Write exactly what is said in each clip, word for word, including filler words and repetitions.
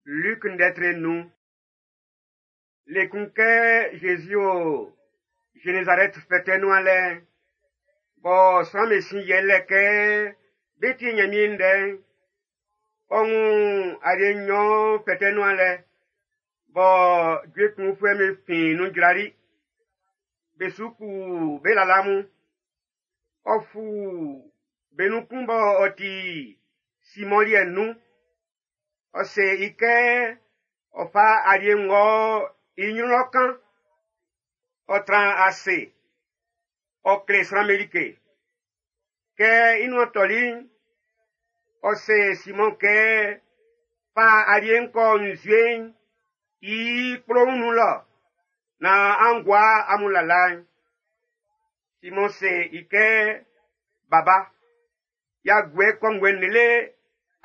Luc ndɛtre nun. Le kun kɛ Jésus o Génézareth fɛtɛ nuan lɛ'n, bɔ sran'm be sin yiɛ lɛ kɛ be tie Nyanmiɛn ndɛ'n, ɔ wun alie nnyɔn fɛtɛ nuan lɛ, bɔ jue kunfuɛ'm be fin nun jrali. Be su kpu be lala mun. Ɔ fu be nun kun bɔ ɔ ti Simɔn liɛ'n nun. Ɔ se i kɛ ɔ fa alie ng'ɔ i nyrun lɔ kan. Ɔ tran ase, ɔ kle sran'm be like. Kɛ i nuan tɔli'n, ɔ se Simɔn kɛ fa alie'n kɔ nzue'n i kplo'n nun lɔ naan an gua amun lala'n. Simɔn se i kɛ, Baba, y'a guɛ kɔnguɛ lele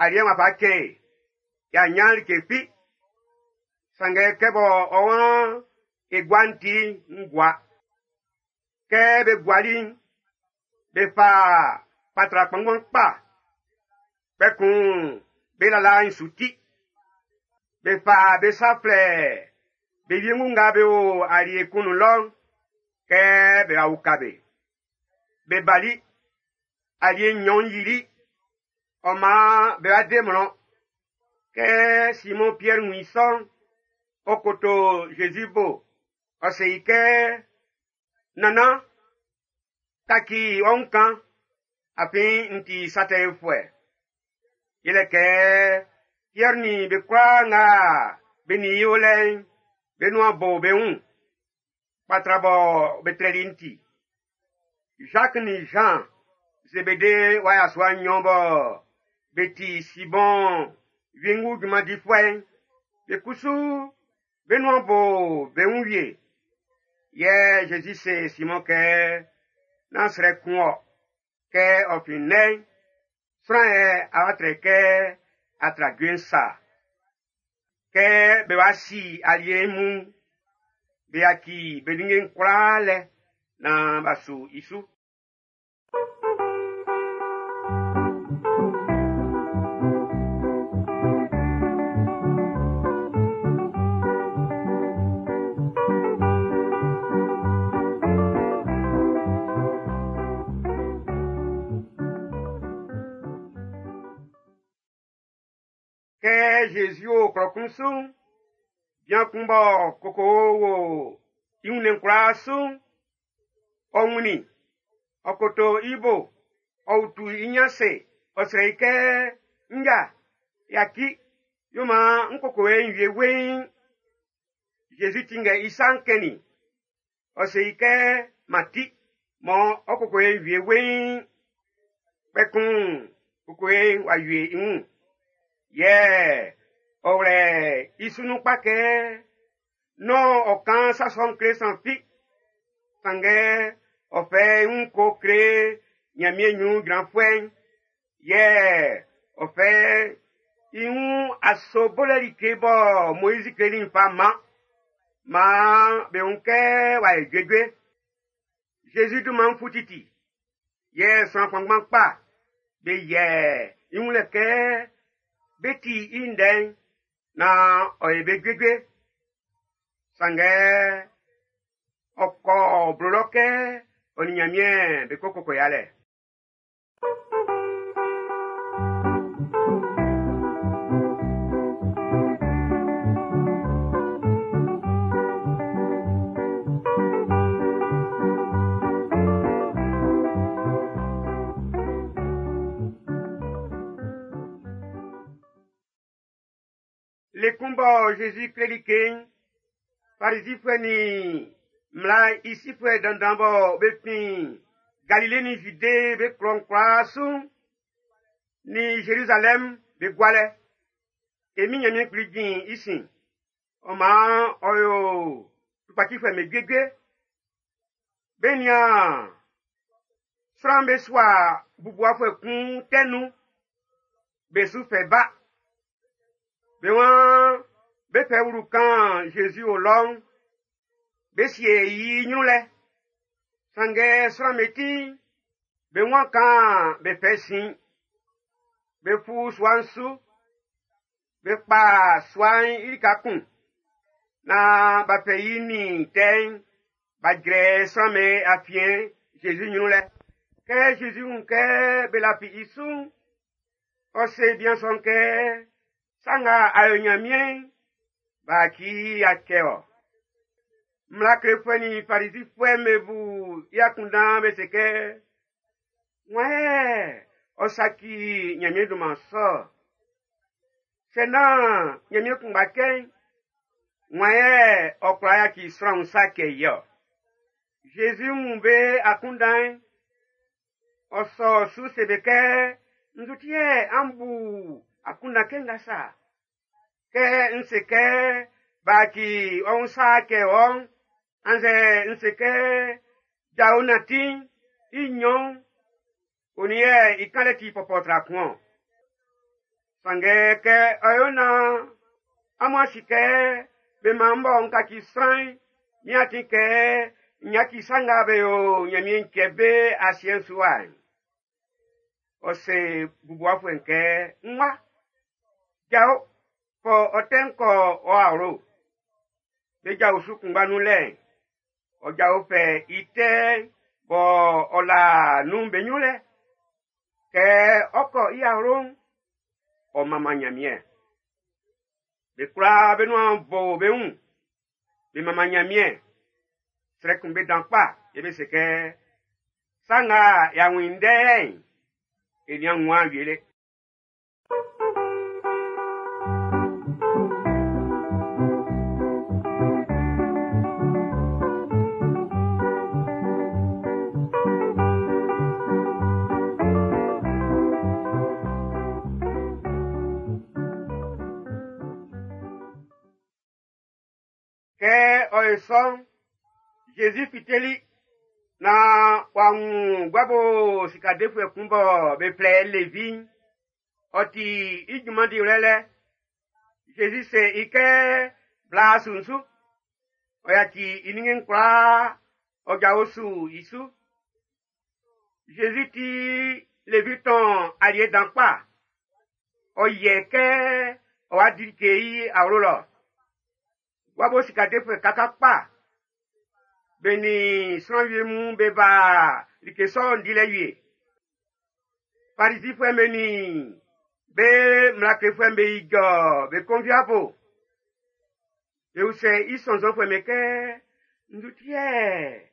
aliɛ'n w'a fa cɛn e, y'a nyan like fi. Sanngɛ kɛ bɔ ɔ waan e gua'n ti n gua. Kɛ be guali'n, be fa kpatra kpanngban kpa. Kpɛkun be lala'n su ti. Be fa be sa flɛ be wiengu nga be o alie kun nun lɔ'n kɛ be wa uka be. Be bali, alie nnyɔn'n yili, ɔ maan be wa de mlɔn. Kɛ Simɔn Piɛr wun i sɔ'n, ɔ koto Jésus bo, ɔ se i kɛ, Nannan, kaci ɔ wun kan, afin n ti sa tɛ yofuɛ. Yɛlɛ kɛ Piɛr nin be kwlaa nga be nin i o lɛ'n, be nuan bo be wun, kpatra bɔ be trɛli'n ti. Jacques nin Jean, Zebede wa yasua nnyɔn bɔ be ti Simɔn wiengu junman difuɛ'n, be kusu be nuan bo be wun wie. Yɛ Jésus se Simɔn kɛ, nán srɛ kun ɔ, kɛ ɔ fin nnɛ'n, sran yɛ a wa trɛ kɛ a tra jue'n sa. Kɛ be wa si alie mun'n, be yaci be ninnge'n kwlaa lɛ naan b'a su i su. Kɛ Jésus o klɔ kun su'n, bian kun bɔ koko wo i wunnɛn kwlaa su'n, ɔ wunnin, ɔ koto i bo, ɔ utu i nyin ase, ɔ srɛ i kɛ, Nja, yaci, yo maan n kokowe'n wie weiin. Jésus tinngɛ i sa'n kɛnnin i. Ɔ se i kɛ, Mati, mɔ ɔ kokowe'n wie weiin. Kpɛkun kokowe'n w'a wie i wun. Yɛ ɔ wlɛ i su nun kpa kɛ nán ɔ kan sa sɔ'n kle sran fi. Sanngɛ ɔ fɛ i wun ko kle Nyanmiɛn nyrun jranfuɛ'n. Yɛ ɔ fɛ i wun aso bolɛ like bɔ Moizi kleli'n fa man. Maan be wun kɛ w'a yo juejue. Jésus dunman'n fu titi. Yɛ sran kpanngban kpa be yɛ i wun lɛ kɛ be ti i ndɛ'n naan ɔ ye be juejue. Sanngɛ ɔ kɔ blo lɔ kɛ ɔ nin Nyanmiɛn be ko koko yalɛ. Le kun bɔ Jésus kleli like'n, Farizifuɛ nin mmla i sifuɛ dandan bɔ be fin Galile nin Jude be klɔ'n kwlaa su'n, nin Jérusalem be gualɛ. E min Nyanmiɛn Kpli jin i sin. Ɔ maan ɔ yo tukpacifuɛ'm be juejue. Be nian sran'm be sua bubuwafuɛ kun tɛ nun, be su fɛ ba. Be waan be fɛ wlu kan Jésus o lɔ'n, be sie i nyrun lɛ. Sanngɛ sran'm be ti'n, be waan kan be fɛ sin. Be fu sua'n su, Be kpa sua'n i lika kun naan b'a fɛ i nin tɛ'n b'a jrɛ sran'm be afiɛn Zezi ɲrun lɛ. Kɛ Zezi wun kɛ be lafi i su'n, ɔ se bian sɔ'n kɛ, sa nga a yo Ɲanmiɛn'n, b'a ci i a cɛ ɔ. Mmla klefuɛ nin Farizifuɛ'm be bu i akunndan be se kɛ, wan yɛ ɔ saci Ɲanmiɛn dunman sɔ? Sɛ nán Ɲanmiɛn kunngba cɛ'n, wan yɛ ɔ kwla yaci sran sa cɛ i ɔ? Zezi wun be akunndan'n, ɔ sɔ su se be kɛ, nzu ti yɛ an bu akunndan kɛ nga sa? Kɛ n se kɛ b'a ci ɔ wun sa cɛ wɔ'n, annzɛ n se kɛ jao nanti'n i nɲɔn'n, onin yɛ i kanlɛ ti pɔpɔ tra kun-ɔn? Sanngɛ kɛ ɔ yo naan amun a si kɛ be man bɔ n kaci sran'n, min atin kɛ n yaci sa nga be yo Ɲanmiɛn cɛ be asiɛ'n su wa'n. Ɔ se bubuwafuɛ'n kɛ, n wa, jao, kɔ ɔ tɛ'n kɔ ɔ awlo. Be jao su kunngba nun lɛ'n, ɔ jao fɛ i tɛ'n bɔ ɔ la nun be ɲrun lɛ. Kɛ ɔ kɔ i awlo'n, ɔ manman Ɲanmiɛn. Be kwlaa be nuan bo be wun, be manman Ɲanmiɛn. Srɛ kun be dan kpa, yɛ be se kɛ, sa nga y'a wun i ndɛ'n, e nian wun wie le. Kɛ ɔ ye sɔ'n, Zezi fiteli naan w'a wun guabo sikadefuɛ kun bɔ be flɛ i Levi'n. Ɔ ti i junman diwlɛ lɛ. Zezi se i kɛ bla su'n su. Ɔ yaci i ninnge'n kwlaa, ɔ jao su i su. Zezi ti Levi tɔn aliɛ dan kpa. Ɔ yɛ kɛ ɔ wa di like i awlo lɔ. Guabo sikadefuɛ kaka kpa. Be nin sran wie mun be ba like sɔ'n dilɛ wie. Farizifuɛ'm be nin be mmla klefuɛ'm be ijɔ be konviabo. Be usɛ i sɔnnzɔnfuɛ'm be kɛ, nzu ti yɛ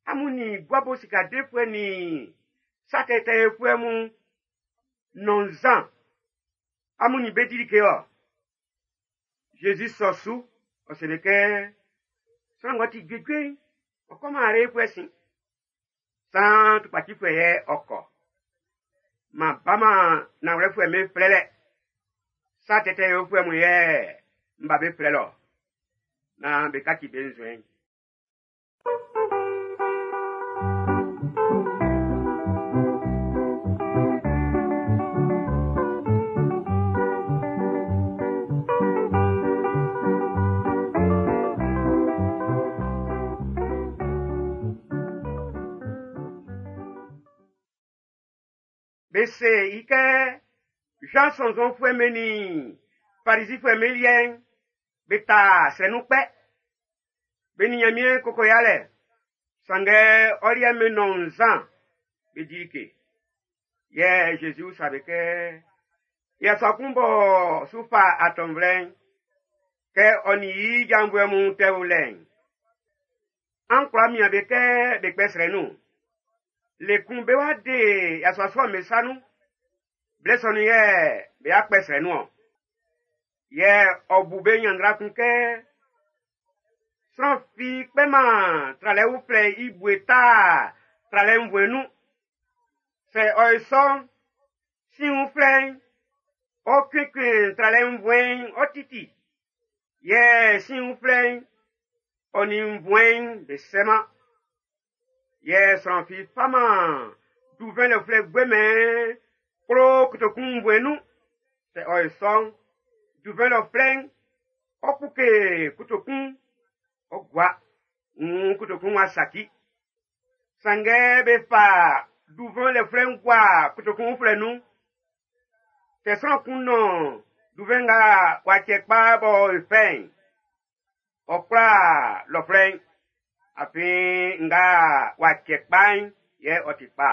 amun nin guabo sikadefuɛ nin sa tɛtɛfuɛ mun nɔn nzan, amun nin be di like ɔ? Zezi sɔ su, ɔ se be kɛ, sran ng'ɔ ti juejue'n, ɔ kɔman arefuɛ sin. San tukpacifuɛ yɛ ɔ kɔ. Ma bama nanwlɛfuɛ'm be flɛlɛ. Sa tɛtɛ yofuɛ mun yɛ n ba be flɛlɛ ɔ. Naan be kaci be nzuɛn'n. Be se i kɛ Jean sɔnnzɔnfuɛ'm be nin Farizifuɛ'm be liɛ'n, be ta srɛ nun kpɛ. Be nin Ɲanmiɛn koko yalɛ. Sanngɛ ɔ liɛ'n be nɔn nzan, be di like. Yɛ Zezi usa be kɛ, yasua kun b'ɔ su fa atɔnvlɛ'n, kɛ ɔ nin i janvuɛ mun tɛ o lɛ'n, an kwla mian be kɛ be kpɛ srɛ nun. Le kun be wa de yasua sɔ'm be sa nun. Blɛ sɔ nun yɛ be akpɛ srɛ nun ɔ. Yɛ ɔ bu be ɲanndra kun kɛ, sran fi kpɛman tralɛ uflɛ i bue ta tralɛ nvue nun. Sɛ ɔ ye sɔ'n, sin uflɛ'n, ɔ kunkun tralɛ nvue'n ɔ titi. Yɛ sin uflɛ'n, ɔ nin nvue'n be sɛman. Yɛ sran fi faman duvɛn lɛ uflɛ guɛmɛn kplo kotokun nvue nun. Sɛ ɔ ye sɔ'n, duvɛn lɛ uflɛ'n, ɔ kpuke kotokun, ɔ gua, nwun kotokun wa saki. Sanngɛ be fa duvɛn lɛ uflɛ'n gua kotokun uflɛ nun. Sɛ sran kun nɔn Duvɛn nga w'a cɛ kpa b'ɔ fɛ'n, ɔ kwla lɔflɛ'n, afin nga w'a cɛ kpa'n yɛ ɔ ti kpa.